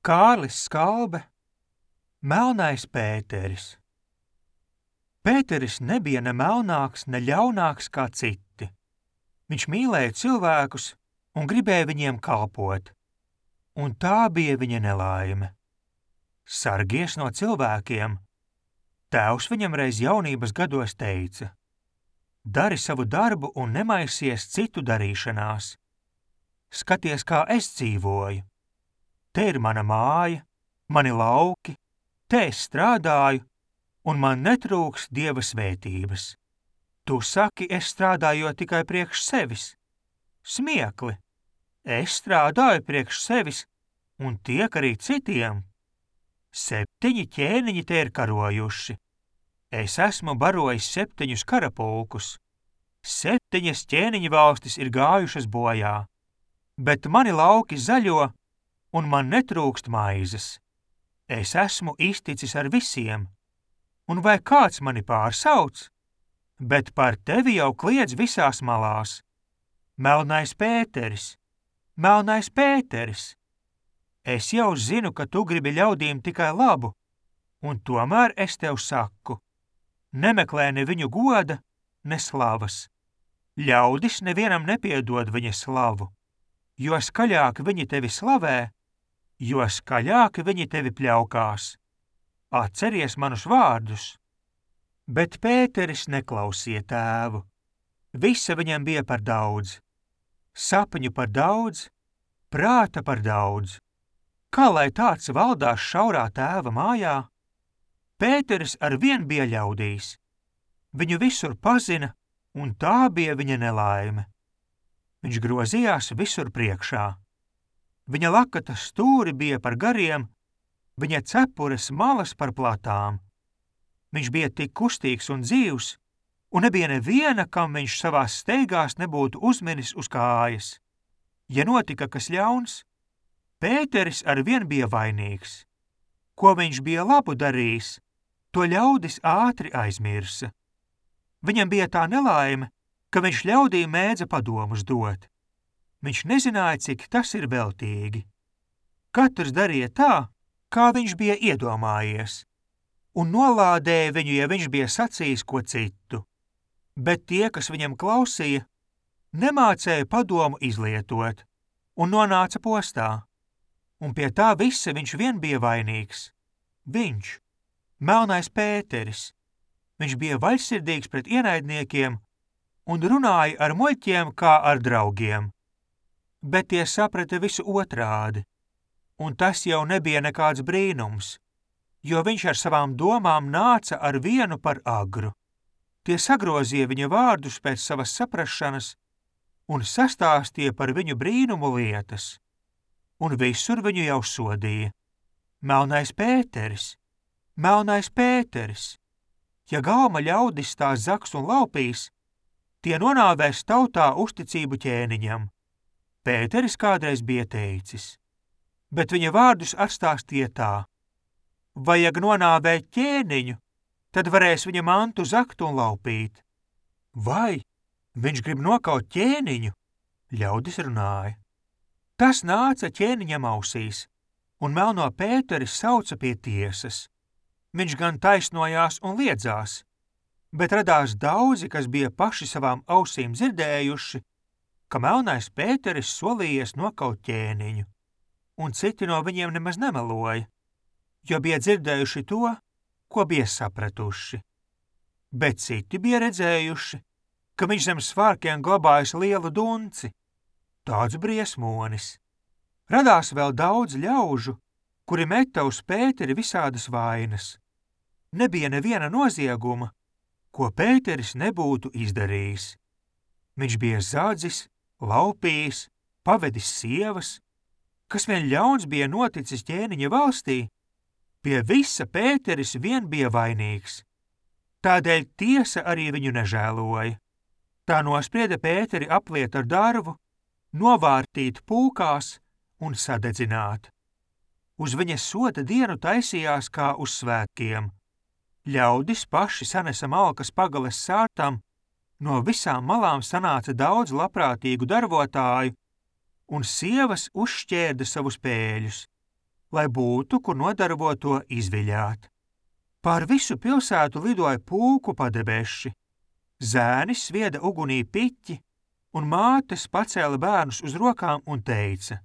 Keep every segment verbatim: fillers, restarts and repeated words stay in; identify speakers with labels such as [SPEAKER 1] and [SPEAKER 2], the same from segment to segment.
[SPEAKER 1] Kārlis Skalbe, Melnais Pēteris. Pēteris nebija ne melnāks, ne ļaunāks kā citi. Viņš mīlēja cilvēkus un gribēja viņiem kalpot, un tā bija viņa nelaime. Sargies no cilvēkiem. Tēvs viņam reiz jaunības gados teica: dari savu darbu un nemaisies citu darīšanās. Skaties, kā es dzīvoju. Te ir mana māja, mani lauki, te es strādāju, un man netrūks Dieva svētības. Tu saki, es strādāju tikai priekš sevis. Smiekli! Es strādāju priekš sevis un tiek arī citiem. Septiņi ķēniņi te ir karojuši. Es esmu barojis septiņus karapulkus. Septiņas ķēniņu valstis ir gājušas bojā, bet mani lauki zaļo, un man netrūkst maizes. Es esmu izticis ar visiem, un vai kāds mani pārsauc? Bet par tevi jau kliedz visās malās. Melnais Pēteris, Melnais Pēteris! Es jau zinu, ka tu gribi ļaudīm tikai labu, un tomēr es tev saku: nemeklē ne viņu goda, ne slavas. Ļaudis nevienam nepiedod viņa slavu, jo skaļāk viņi tevi slavē, jo skaļāk viņi tevi pļaukās. Atceries manus vārdus. Bet Pēteris neklausīja tēvu. Visa viņam bija par daudz. Sapņu par daudz, prāta par daudz. Kā lai tāds valdās šaurā tēva mājā? Pēteris arvien bija ļaudīs. Viņu visur pazina, un tā bija viņa nelaime. Viņš grozījās visur priekšā. Viņa lakata stūri bija par gariem, viņa cepures malas par platām. Viņš bija tik kustīgs un dzīvs, un nebija neviena, kam viņš savās steigās nebūtu uzminis uz kājas. Ja notika kas ļauns, Pēteris arvien bija vainīgs. Ko viņš bija labu darījis, to ļaudis ātri aizmirsa. Viņam bija tā nelaime, ka viņš ļaudīm mēdza padomus dot. Viņš nezināja, cik tas ir veltīgi. Katrs darīja tā, kā viņš bija iedomājies, un nolādēja viņu, ja viņš bija sacījis ko citu. Bet tie, kas viņam klausīja, nemācēja padomu izlietot un nonāca postā. Un pie tā visa viņš vien bija vainīgs. Viņš, Melnais Pēteris. Viņš bija vaļsirdīgs pret ienaidniekiem un runāja ar muļķiem kā ar draugiem. Bet tie saprata visu otrādi, un tas jau nebija nekāds brīnums, jo viņš ar savām domām nāca ar vienu par agru. Tie sagrozīja viņa vārdus pēc savas saprašanas un sastāstīja par viņu brīnumu lietas, un visur viņu jau sodīja. Melnais Pēteris, Melnais Pēteris! Ja galma ļaudis tā zaks un laupīs, tie nonāvēs tautā uzticību ķēniņam. Pēteris kādreiz bija teicis, bet viņa vārdus atstāstīja tā: vajag nonāvēt ķēniņu, tad varēs viņa mantu zakt un laupīt. Vai viņš grib nokaut ķēniņu? Ļaudis runāja. Tas nāca ķēniņam ausīs, un Melno Pēteris sauca pie tiesas. Viņš gan taisnojās un liedzās, bet radās daudzi, kas bija paši savām ausīm dzirdējuši, ka Melnais Pēteris solījies nokaut ķēniņu, un citi no viņiem nemaz nemeloja, jo bija dzirdējuši to, ko bija sapratuši. Bet citi bija redzējuši, ka viņš zem svārkiem glabājas lielu dunci, tāds briesmonis. Radās vēl daudz ļaužu, kuri meta uz Pēteri visādas vainas. Nebija neviena nozieguma, ko Pēteris nebūtu izdarījis. Viņš bija zadzis, laupījis, pavedis sievas, kas vien ļauns bija noticis ķēniņa valstī, pie visa Pēteris vien bija vainīgs. Tādēļ tiesa arī viņu nežēloja. Tā nosprieda Pēteri apliet ar darvu, novārtīt pūkās un sadedzināt. Uz viņa soda dienu taisījās kā uz svētkiem. Ļaudis paši sanesa malkas pagales sārtam, no visām malām sanāca daudz labprātīgu darbotāju, un sievas uzšķērda savus pēļus. lai būtu, kur nodarboto izviļāt. Pār visu pilsētu lidoja pulku padebeši. Zēnis svieda ugunī piķi, un mātes pacēla bērnus uz rokām un teica: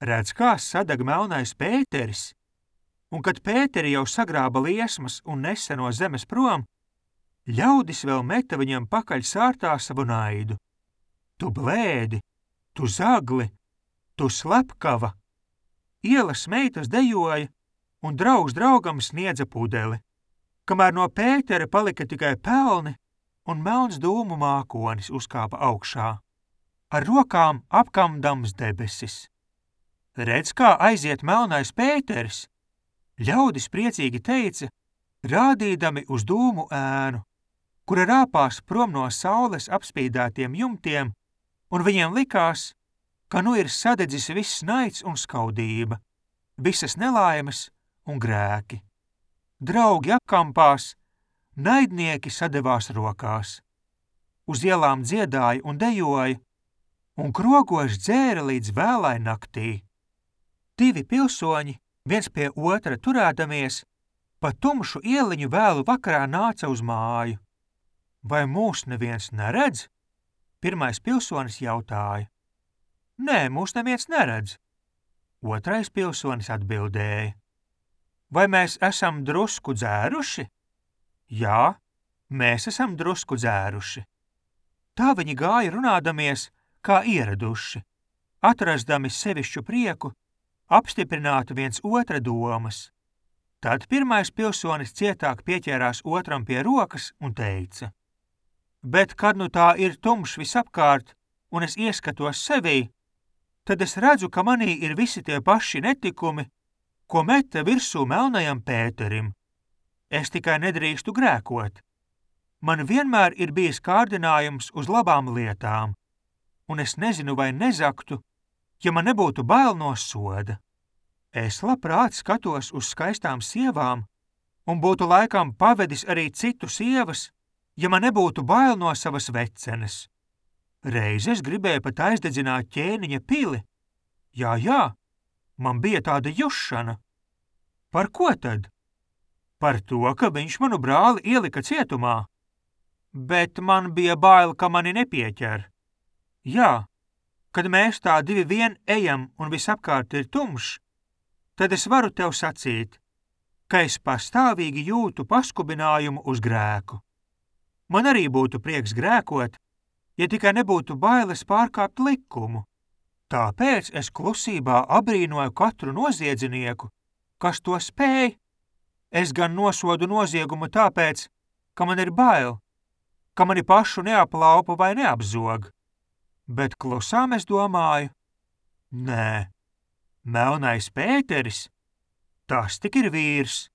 [SPEAKER 1] redz, kā sadeg melnais Pēteris, un kad Pēteri jau sagrāba liesmas un nesa no zemes prom, ļaudis vēl meta viņam pakaļ sārtā savu naidu. Tu blēdi, tu zagli, tu slepkava. Ielas meitas dejoja, un draugs draugam sniedza pudeli, kamēr no Pētera palika tikai pelni, un melns dūmu mākonis uzkāpa augšā, ar rokām apkamdams debesis. Redz, kā aiziet melnais Pēteris, ļaudis priecīgi teica, rādīdami uz dūmu ēnu, kura rāpās prom no saules apspīdētiem jumtiem, un viņiem likās, ka nu ir sadedzis viss naids un skaudība, visas nelaimes un grēki. Draugi apkampās, naidnieki sadevās rokās. Uz ielām dziedāja un dejoja, un krogoši dzēra līdz vēlai naktī. Divi pilsoņi, viens pie otra turēdamies, pa tumšu ieliņu vēlu vakarā nāca uz māju. Vai mūs neviens neredz? Pirmais pilsonis jautāja. Nē, mūs neviens neredz. Otrais pilsonis atbildēja. Vai mēs esam drusku dzēruši? Jā, mēs esam drusku dzēruši. Tā viņi gāja runādamies, kā ieraduši, atrasdami sevišķu prieku, apstiprinātu viens otra domas. Tad pirmais pilsonis cietāk pieķērās otram pie rokas un teica. Bet, kad nu tā ir tumšs visapkārt, un es ieskatos sevī, tad es redzu, ka manī ir visi tie paši netikumi, ko meta virsū melnajam Pēterim. Es tikai nedrīkstu grēkot. Man vienmēr ir bijis kārdinājums uz labām lietām, un es nezinu, vai nezaktu, ja man nebūtu bail no soda. Es labprāt skatos uz skaistām sievām, un būtu laikam pavedis arī citu sievas, ja man nebūtu bail no savas vecenes. Reiz es gribēju pat aizdedzināt ķēniņa pili. Jā, jā, man bija tāda jušana. Par ko tad? Par to, ka viņš manu brāli ielika cietumā. Bet man bija bail, ka mani nepieķer. Jā, kad mēs tā divi vien ejam un visapkārt ir tumšs, tad es varu tev sacīt, ka es pastāvīgi jūtu paskubinājumu uz grēku. Man arī būtu prieks grēkot, ja tikai nebūtu bailes pārkāpt likumu. Tāpēc es klusībā abrīnoju katru noziedzinieku, kas to spēj. Es gan nosodu noziegumu tāpēc, ka man ir bail, ka mani pašu neaplaupa vai neapzog. Bet klusām es domāju, nē, melnais Pēteris, tas tik ir vīrs.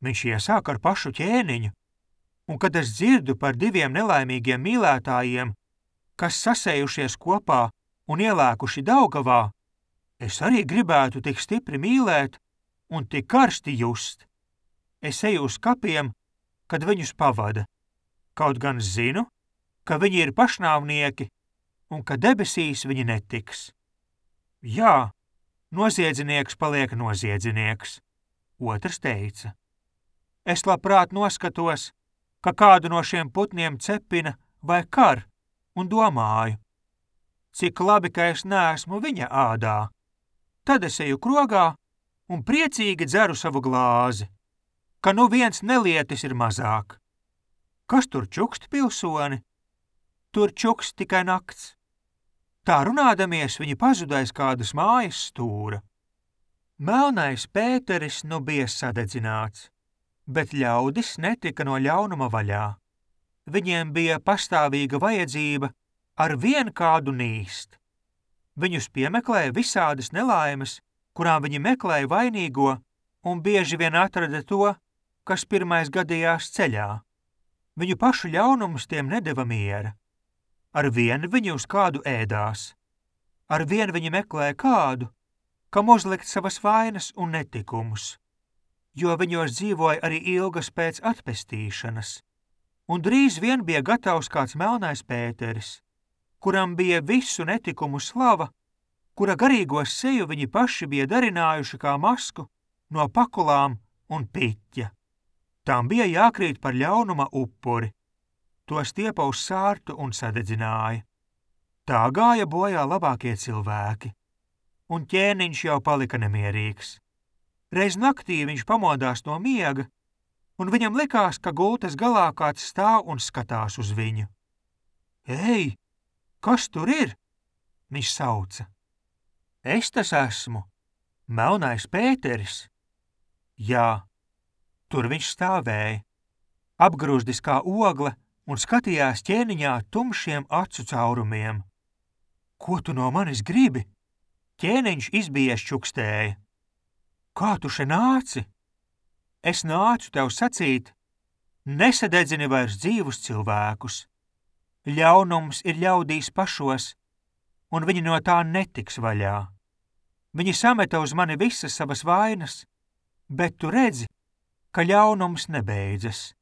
[SPEAKER 1] Viņš iesāk ar pašu ķēniņu, un kad es dzirdu par diviem nelaimīgiem mīlētājiem, kas sasējušies kopā un ielēkuši Daugavā, es arī gribētu tik stipri mīlēt un tik karsti just. Es eju uz kapiem, kad viņus pavada, kaut gan zinu, ka viņi ir pašnāvnieki un ka debesīs viņi netiks. Jā, noziedznieks paliek noziedznieks, otrs teica. Es labprāt noskatos, ka kādu no šiem putniem cepina vai kar, un domāju, cik labi, ka es neesmu viņa ādā. Tad es eju krogā un priecīgi dzeru savu glāzi, ka nu viens nelietis ir mazāk. Kas tur čukst, pilsoni? Tur čukst tikai nakts. Tā runādamies viņi pazudais kādas mājas stūra. Melnais Pēteris nu bija sadedzināts, bet ļaudis netika no ļaunuma vaļā. Viņiem bija pastāvīga vajadzība ar vien kādu nīst. Viņus piemeklēja visādas nelaimes, kurām viņi meklēja vainīgo, un bieži vien atrada to, kas pirmais gadījās ceļā. Viņu pašu ļaunums tiem nedeva miera. Ar vienu viņi uz kādu ēdās. Ar vienu viņi meklēja kādu, kam uzlikt savas vainas un netikumus, jo viņos dzīvoja arī ilgas pēc atpestīšanas. Un drīz vien bija gatavs kāds melnais Pēteris, kuram bija visu netikumu slava, kura garīgo seju viņi paši bija darinājuši kā masku no pakulām un piķa. Tām bija jākrīt par ļaunuma upuri. To stiepa uz sārtu un sadedzināja. Tā gāja bojā labākie cilvēki. Un ķēniņš jau palika nemierīgs. Reiz naktī viņš pamodās no miega, un viņam likās, ka gultas galā kāds stāv un skatās uz viņu. Ei, kas tur ir? Viņš sauca. Es tas esmu, Melnais Pēteris. Jā, tur viņš stāvēja, apgrūzdis kā ogle un skatījās ķēniņā tumšiem acu caurumiem. Ko tu no manis gribi? Ķēniņš izbijies čukstēja. Kā tu še nāci? Es nācu tev sacīt, nesadedzini vairs dzīvus cilvēkus. Ļaunums ir ļaudīs pašos, un viņi no tā netiks vaļā. Viņi sameta uz mani visas savas vainas, bet tu redzi, ka ļaunums nebeidzas.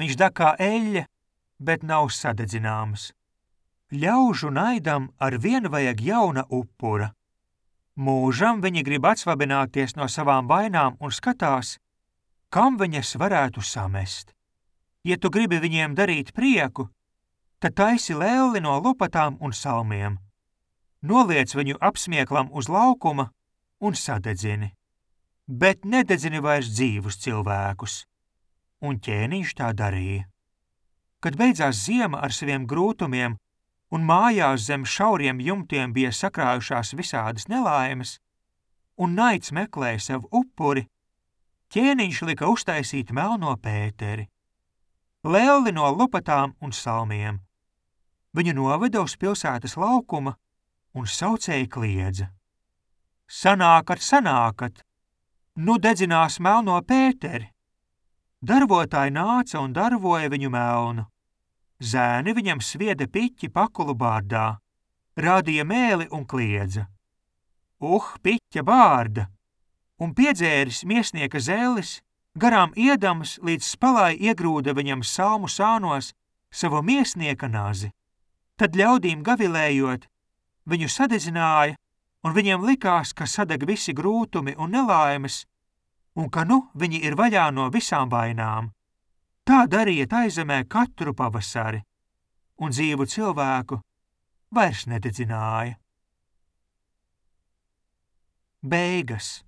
[SPEAKER 1] Viņš deg kā eļļa, bet nav sadedzināms. Ļaužu naidam ar vienu vajag jauna upura. Mūžam viņi grib atsvabināties no savām vainām un skatās, kam viņas varētu samest. Ja tu gribi viņiem darīt prieku, tad taisi lēli no lupatām un salmiem. Noliec viņu apsmieklam uz laukuma un sadedzini. Bet nededzini vairs dzīvus cilvēkus. Un ķēniņš tā darīja. Kad beidzās ziema ar saviem grūtumiem un mājās zem šauriem jumtiem bija sakrājušās visādas nelaimes, un naids meklēja sev upuri, ķēniņš lika uztaisīt Melno Pēteri. Lelli no lupatām un salmiem. Viņu noveda uz pilsētas laukuma un saucēji kliedza. Sanākat, sanākat! Nu dedzinās Melno Pēteri! Darvotāji nāca un darvoja viņu melnu. Zēni viņam svieda piķi pakulu bārdā, rādīja mēli un kliedza. Uh, piķa bārda! Un piedzēris miesnieka zēlis, garām iedams līdz spalai iegrūda viņam salmu sānos savu miesnieka nazi. Tad ļaudīm gavilējot, viņu sadedzināja, un viņiem likās, ka sadeg visi grūtumi un nelaimes, un ka nu viņi ir vaļā no visām vainām. Tā darīja taizemē katru pavasari, un dzīvu cilvēku vairs nededzināja. Beigas.